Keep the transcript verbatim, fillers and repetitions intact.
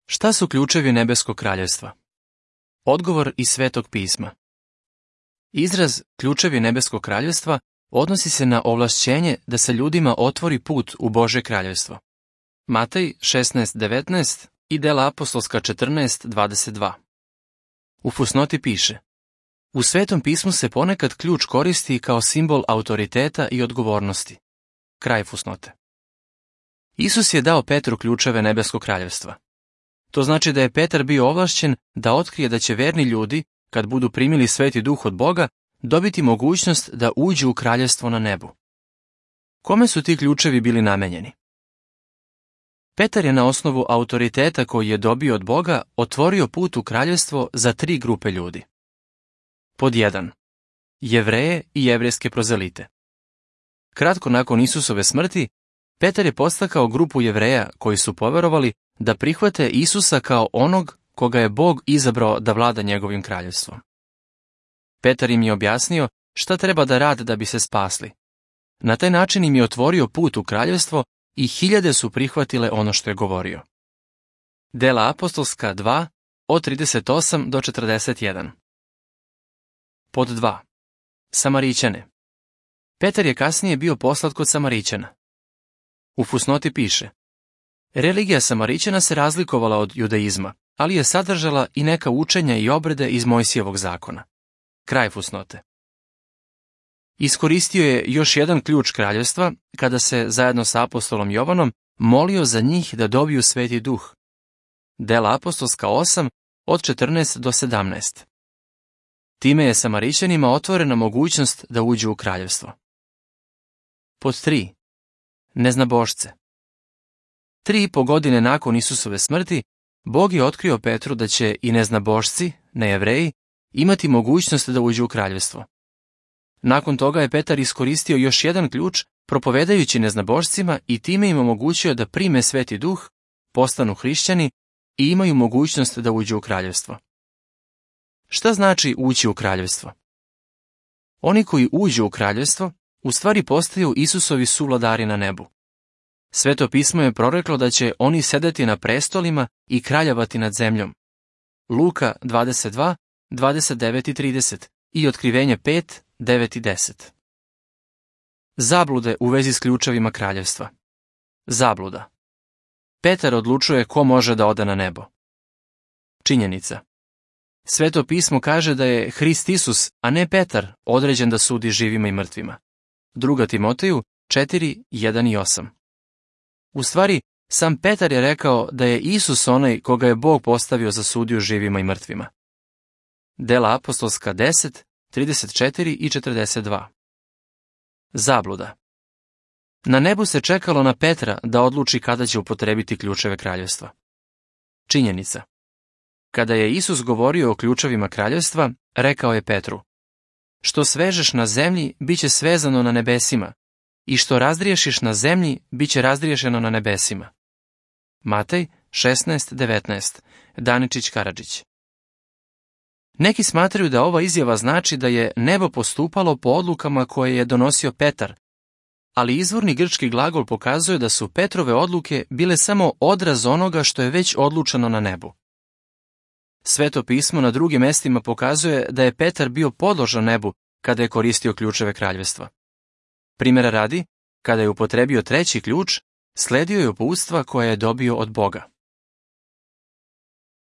Šta su ključevi nebeskog kraljevstva? Odgovor iz Svetog pisma. Izraz ključevi nebeskog kraljevstva odnosi se na ovlašćenje da se ljudima otvori put u Božje kraljevstvo. Matej šesnaest devetnaest i Dela apostolska četrnaest dvadeset dva. U fusnoti piše: U Svetom pismu se ponekad ključ koristi kao simbol autoriteta i odgovornosti. Kraj fusnote. Isus je dao Petru ključeve nebeskog kraljevstva. To znači da je Petar bio ovlašćen da otkrije da će verni ljudi, kad budu primili Sveti Duh od Boga, dobiti mogućnost da uđu u kraljevstvo na nebu. Kome su ti ključevi bili namenjeni? Petar je na osnovu autoriteta koji je dobio od Boga otvorio put u kraljevstvo za tri grupe ljudi. Pod jedan. Jevreje i jevrejske prozelite. Kratko nakon Isusove smrti, Petar je podstakao grupu Jevreja koji su poverovali da prihvate Isusa kao onog koga je Bog izabrao da vlada njegovim kraljevstvom. Petar im je objasnio šta treba da rade da bi se spasli. Na taj način im je otvorio put u kraljevstvo i hiljade su prihvatile ono što je govorio. Dela apostolska dva, od trideset osam do četrdeset jedan. Pod dva. Samarićane. Petar je kasnije bio poslat kod Samarićana. U fusnoti piše: Religija Samarićana se razlikovala od judaizma, ali je sadržala i neka učenja i obrede iz Mojsijevog zakona. Kraj fusnote. Iskoristio je još jedan ključ kraljevstva kada se, zajedno sa apostolom Jovanom, molio za njih da dobiju Sveti Duh. Dela apostolska osam, od četrnaest do sedamnaest. Time je Samarićanima otvorena mogućnost da uđu u kraljevstvo. Pod tri. Neznabošce. Tri i po godine nakon Isusove smrti, Bog je otkrio Petru da će i neznabošci, nejevreji, imati mogućnost da uđu u kraljevstvo. Nakon toga je Petar iskoristio još jedan ključ, propovedajući neznabošcima i time im omogućio da prime Sveti Duh, postanu hrišćani i imaju mogućnost da uđu u kraljevstvo. Šta znači ući u kraljevstvo? Oni koji uđu u kraljevstvo u stvari postaju Isusovi suvladari na nebu. Sveto pismo je proreklo da će oni sedeti na prestolima i kraljevati nad zemljom. Luka dvadeset dva, dvadeset devet i trideset i Otkrivenje pet, devet i deset. Zablude u vezi s ključevima kraljevstva. Zabluda. Petar odlučuje ko može da ode na nebo. Činjenica. Sveto pismo kaže da je Hrist Isus, a ne Petar, određen da sudi živima i mrtvima. Druga Timoteju četiri, jedan i osam. U stvari, sam Petar je rekao da je Isus onaj koga je Bog postavio za sudiju živima i mrtvima. Dela apostolska deset, trideset četiri i četrdeset dva. Zabluda. Na nebu se čekalo na Petra da odluči kada će upotrebiti ključeve kraljevstva. Činjenica. Kada je Isus govorio o ključevima kraljevstva, rekao je Petru: Što svežeš na zemlji, bit će svezano na nebesima, i što razdriješiš na zemlji, bit će razdriješeno na nebesima. Matej šesnaest devetnaest, Daničić Karadžić. Neki smatraju da ova izjava znači da je nebo postupalo po odlukama koje je donosio Petar, ali izvorni grčki glagol pokazuje da su Petrove odluke bile samo odraz onoga što je već odlučeno na nebu. Sveto pismo na drugim mestima pokazuje da je Petar bio podložan nebu kada je koristio ključeve kraljevstva. Primjera radi, kada je upotrebio treći ključ, sledio je uputstva koje je dobio od Boga.